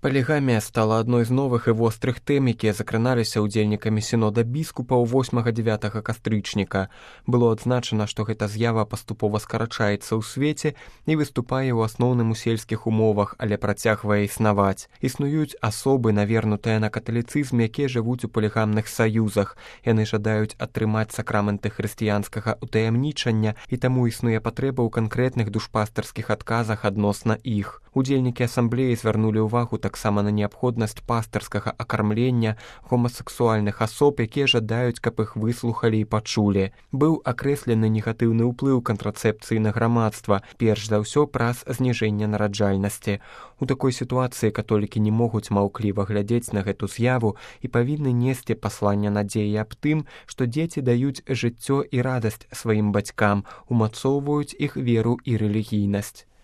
Палігамія стала адной з новых і вострых тэм, якія закраналіся ўдзельнікамі сінода біскупаў 8-9 кастрычніка. Было адзначана, што гэта з'ява паступова скарачаецца ў свеце і выступае ў асноўным у сельскіх умовах, але працягвае існаваць. Існуюць асобы, навернутыя на каталіцызм, якія жывуць у палігамных саюзах. Яны жадаюць атрымаць сакраменты хрысціянскага ўтаямнічання, і таму існуе патрэба ў канкрэтных душпастарскіх адказах адносна іх. Удзельнікі асамблеі звярнулі ўвагу таксама на неабходнасць пастырскага акармлення гомасексуальных асоб, якія жадаюць, каб іх выслухалі і пачулі. Быў акрэслены негатыўны ўплыў кантрацэпцыі на грамадства, перш за ўсё праз зніжэнне нараджальнасці. У такой сітуацыі католікі не могуць маўкліва глядзець на гэту з'яву і павінны несці пасланне надзеі аб тым, што дзеці даюць жыццё і радасць сваім бацькам, умацоўваюць іх веру і рэлігійнасць.